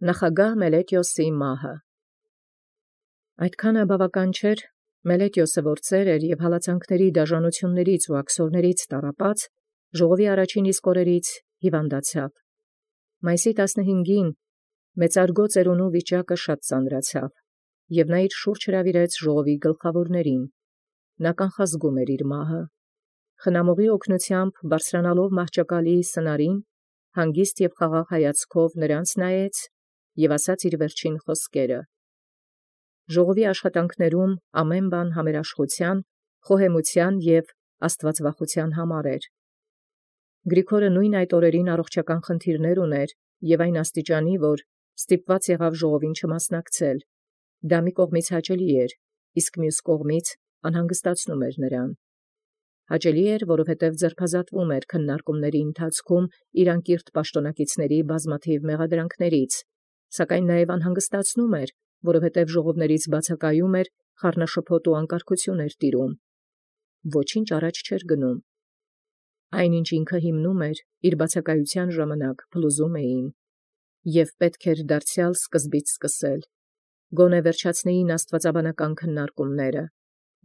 Նախագահ Մելետիոսի մահը։ Այդքանը բավական չէր, Մելետիոսը որ ծեր էր և հալածանքների դաժանություններից ու աքսորներից տառապած, ժողովի առաջին իսկ օրերից հիվանդացավ։ Մայիսի 15-ին մեծարգո ծերունու վիճակը շատ ծանրացավ, և նա իր շուրջ հրավիրեց ժողովի գլխավորներին։ Նա կանխազգում էր իր մահը։ Խնամողի օգնությամբ բարձրանալով մահճակալի սնարին, հանգիստ և խաղաղ հայացքով նրանց նայեց և ասաց իր վերջին խոսքերը։ Ժողովի աշխատանքներում ամեն բան համերաշխության, խոհեմության և աստվածվախության համար էր։ Գրիգորը նույն այդ օրերին առողջական խնդիրներ ուներ և այն աստիճանի, որ ստիպված եղավ ժողովին չմասնակցել։ Դա մի կողմից հաճելի էր, իսկ մյուս կողմից անհանգստացնում էր նրան։ Հաճելի էր, որովհետև ձերբազատվում էր քննարկումների ընթացքում իր անկիրթ պաշտոնակիցների բազմաթիվ մեղադրանքներից, սակայն նաև անհանգստացնում էր, որովհետև ժողովներից բացակայում էր, խառնաշփոթ ու անկարգություն էր տիրում։ Ոչինչ առաջ չէր գնում։ Այն, ինչ ինքը հիմնում էր, իր բացակայության ժամանակ փլուզում էին, և պետք էր դարձյալ սկզբից սկսել։ Գոնե վերջացնեին աստվածաբանական քննարկումները։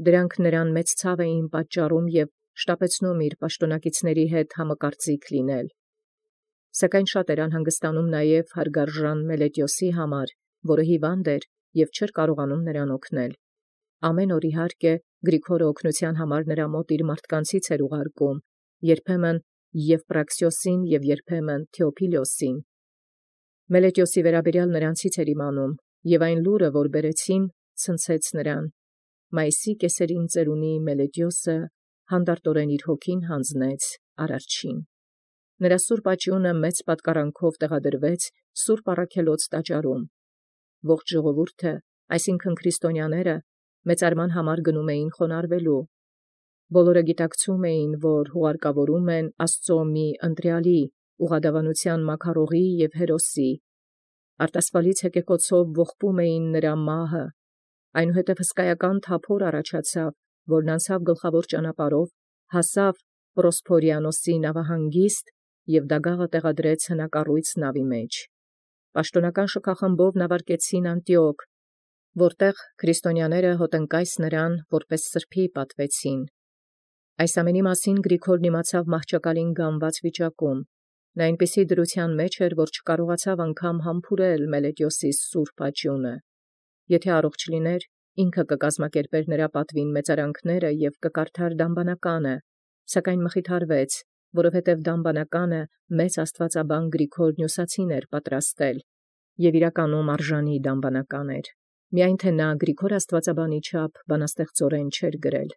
Դրանք նրան մեծ ցավ էին պատճառում և շտապեցնում իր պաշտոնակիցների հետ համակարծիք լինել։ Սակայն շատ էր անհանգստանում նաև հարգարժան Մելետիոսի համար, որը հիվանդ էր և չէր կարողանում նրան օգնել։ Ամեն օր, իհարկե, Գրիգորը օգնության համար նրա մոտ իր մարդկանցից էր ուղարկում, երբեմն Եվպրաքսիոսին և երբեմն Թեոփիլոսին։ Մելետիոսի վերաբերյալ նրանցից էր իմանում, և այն լուրը, որ բերեցին, ցնցեց նրան։ Մայիսի կեսերին ծերունի Մելետիոսը հանդարտորեն իր հոգին հանձնեց Արարչին։ Նրա սուրբ աճյունը մեծ պատկառանքով տեղադրվեց Սուրբ Առաքելոց տաճարում։ Ողջ ժողովուրդը, այսինքն քրիստոնյաները, մեծարման համար գնում էին խոնարհվելու։ Բոլորը գիտակցում էին, որ հուղարկավորում են Աստծո մի ընտրյալի, ուղղադավանության մաքարողի և հերոսի։ Արտասվալից հեկեկոցով ողբում էին նրա մահը, այնուհետև հսկայական թափոր առաջացավ, որն անցավ գլխավոր ճանապարհով, հասավ Պրոսփորիանոսի նավահանգիստ և դագաղը տեղադրեց հնակառույց նավի մեջ։ Պաշտոնական շքախմբով նավարկեցին Անտիոք, որտեղ քրիստոնյաները հոտնկայս նրան որպես սրբի պատվեցին։ Այս ամենի մասին Գրիգորն իմացավ մահճակալին գանված վիճակում։ Նա այնպիսի դրության մեջ էր, որ չկարողացավ անգամ համբուրել Մելետիոսի սուրբ աճյունը։ Եթե առողջ լիներ, ինքը կկազմակերպեր նրա պատվին մեծարանքները և կկարդար դամբանականը, սակայն մխիթարվեց, որովհետև դամբանականը մեծ աստվածաբան Գրիգոր Նյուսացին էր պատրաստել, և իրականում արժանի դամբանական էր, միայն թե նա Գրիգոր աստվածաբանի չափ բանաստեղծորեն չէր գրել։